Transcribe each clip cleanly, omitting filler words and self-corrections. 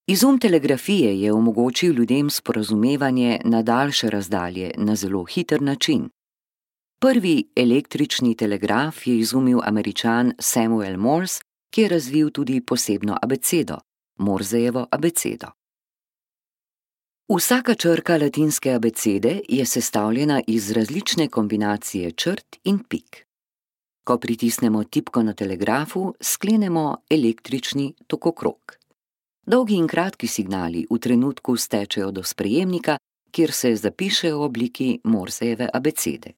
Izum telegrafije je omogočil ljudem sporazumevanje na daljše razdalje na zelo hiter način. Prvi električni telegraf je izumil Američan Samuel Morse, ki je razvil tudi posebno abecedo, Morsejevo abecedo. Vsaka črka latinske abecede je sestavljena iz različne kombinacije črt in pik. Ko pritisnemo tipko na telegrafu, sklenemo električni tokokrog. Dolgi in kratki signali v trenutku stečejo do sprejemnika, kjer se zapišejo v obliki Morsejeve abecede.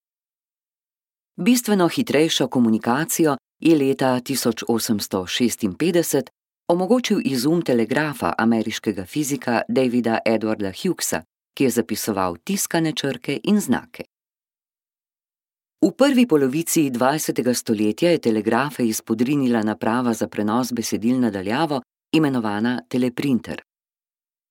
Bistveno hitrejšo komunikacijo je leta 1856 omogočil izum telegrafa ameriškega fizika Davida Edwarda Huggsa, ki je zapisoval tiskane črke in znake. V prvi polovici 20. stoletja je telegrafe izpodrinila naprava za prenos besedil na daljavo, imenovana teleprinter.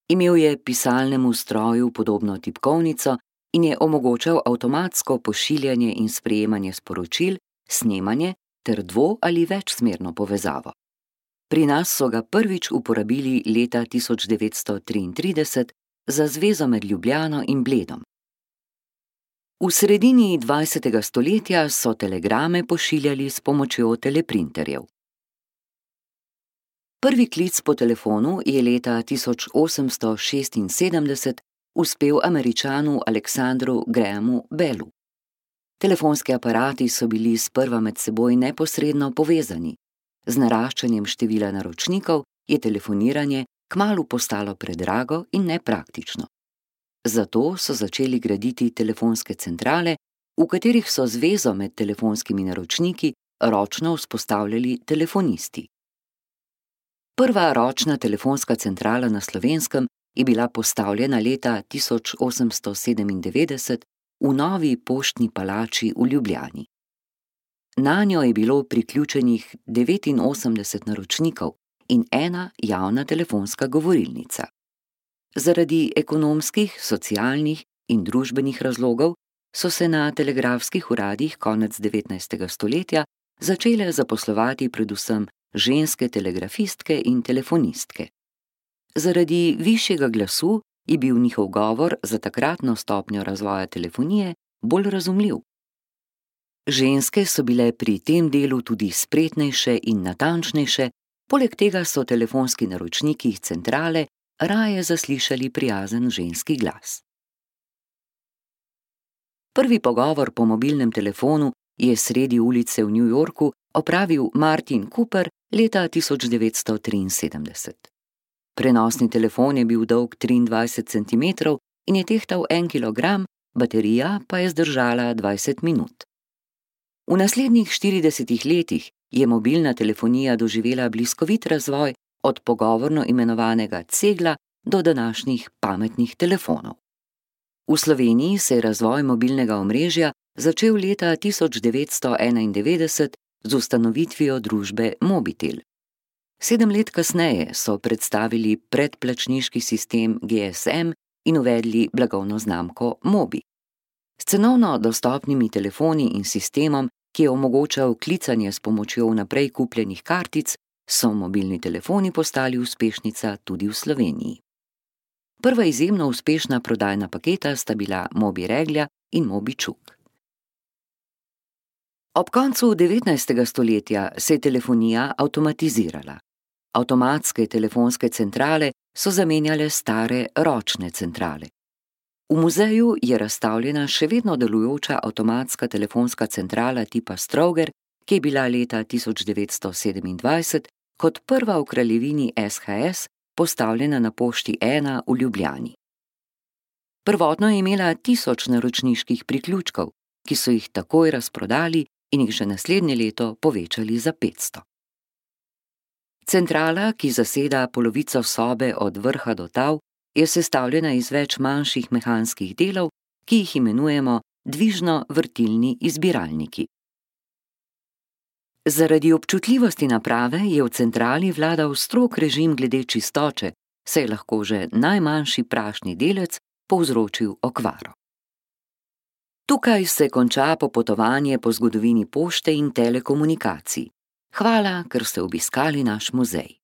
Imel je pisalnemu stroju podobno tipkovnico in je omogočal avtomatsko pošiljanje in sprejemanje sporočil, snemanje ter dvo- ali večsmerno povezavo. Pri nas so ga prvič uporabili leta 1933 za zvezo med Ljubljano in Bledom. V sredini 20. stoletja so telegrame pošiljali s pomočjo teleprinterjev. Prvi klic po telefonu je leta 1876 uspel Američanu Alexandru Grahamu Bellu. Telefonski aparati so bili sprva med seboj neposredno povezani. Z naraščanjem števila naročnikov je telefoniranje kmalu postalo predrago in nepraktično. Zato so začeli graditi telefonske centrale, v katerih so zvezo med telefonskimi naročniki ročno vzpostavljali telefonisti. Prva ročna telefonska centrala na Slovenskem je bila postavljena leta 1897 v novi poštni palači v Ljubljani. Nanjo je bilo priključenih 89 naročnikov in ena javna telefonska govorilnica. Zaradi ekonomskih, socialnih in družbenih razlogov so se na telegrafskih uradih konec 19. stoletja začele zaposlovati predvsem ženske telegrafistke in telefonistke. Zaradi višjega glasu je bil njihov govor za takratno stopnjo razvoja telefonije bolj razumljiv. Ženske so bile pri tem delu tudi spretnejše in natančnejše, poleg tega so telefonski naročniki iz centrale raje zaslišali prijazen ženski glas. Prvi pogovor po mobilnem telefonu je sredi ulice v New Yorku opravil Martin Cooper leta 1973. Prenosni telefon je bil dolg 23 cm in je tehtal 1 kg, baterija pa je zdržala 20 minut. V naslednjih 40 letih je mobilna telefonija doživela bliskovit razvoj od pogovorno imenovanega cegla do današnjih pametnih telefonov. V Sloveniji se je razvoj mobilnega omrežja začel leta 1991 z ustanovitvijo družbe Mobitel. 7 let kasneje so predstavili predplačniški sistem GSM in uvedli blagovno znamko Mobi. S cenovno dostopnimi telefoni in sistemom, ki je omogočal klicanje s pomočjo vnaprej kupljenih kartic, so mobilni telefoni postali uspešnica tudi v Sloveniji. Prva izjemno uspešna prodajna paketa sta bila Mobi Reglja in Mobi Čuk. Ob koncu 19. stoletja se je telefonija avtomatizirala. Avtomatske telefonske centrale so zamenjale stare ročne centrale. V muzeju je razstavljena še vedno delujoča avtomatska telefonska centrala tipa Stroger, ki je bila leta 1927 kot prva v kraljevini SHS postavljena na Pošti 1 v Ljubljani. Prvotno je imela 1000 naročniških priključkov, ki so jih takoj razprodali in jih že naslednje leto povečali za 500. Centrala, ki zaseda polovico sobe od vrha do tal, je sestavljena iz več manjših mehanskih delov, ki jih imenujemo dvižno-vrtilni izbiralniki. Zaradi občutljivosti naprave je v centrali vladal strog režim glede čistoče, saj je lahko že najmanjši prašni delec povzročil okvaro. Tukaj se konča popotovanje po zgodovini pošte in telekomunikacij. Hvala, ker ste obiskali naš muzej.